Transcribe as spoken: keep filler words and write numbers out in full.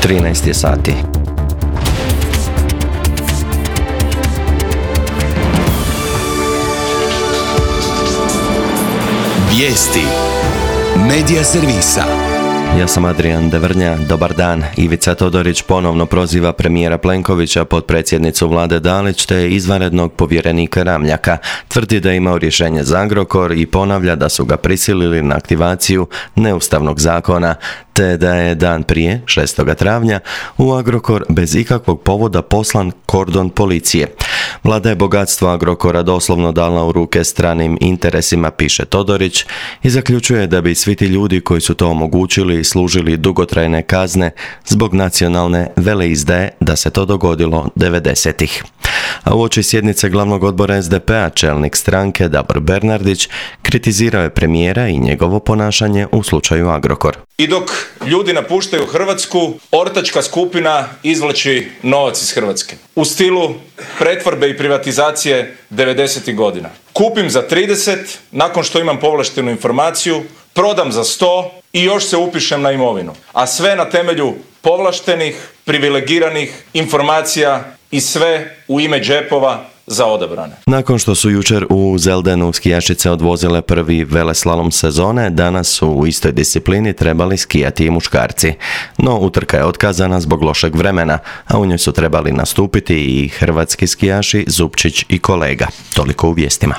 trinaest je sati. Vijesti Medija servisa. Ja sam Adrian Devrnja, dobar dan. Ivica Todorić ponovno proziva premijera Plenkovića, potpredsjednicu vlade Dalić te izvanrednog povjerenika Ramljaka. Tvrdi da je imao rješenje za Agrokor i ponavlja da su ga prisilili na aktivaciju neustavnog zakona, te da je dan prije, šestog travnja, u Agrokor bez ikakvog povoda poslan kordon policije. Vlada je bogatstvo Agrokora doslovno dala u ruke stranim interesima, piše Todorić, i zaključuje da bi svi ti ljudi koji su to omogućili služili dugotrajne kazne zbog nacionalne veleizdaje da se to dogodilo devedesetih. A uoči sjednice glavnog odbora es de pe a čelnik stranke Davor Bernardić kritizirao je premijera i njegovo ponašanje u slučaju Agrokor. I dok ljudi napuštaju Hrvatsku, ortačka skupina izvlači novac iz Hrvatske. U stilu pretvorbe i privatizacije devedesetih godina. Kupim za trideset, nakon što imam povlaštenu informaciju, prodam za sto i još se upišem na imovinu. A sve na temelju povlaštenih, privilegiranih informacija i sve u ime džepova za odabrane. Nakon što su jučer u Zeldenu skijašice odvozile prvi veleslalom sezone, danas su u istoj disciplini trebali skijati i muškarci. No utrka je otkazana zbog lošeg vremena, a u njoj su trebali nastupiti i hrvatski skijaši Zupčić i Kolega. Toliko u vijestima.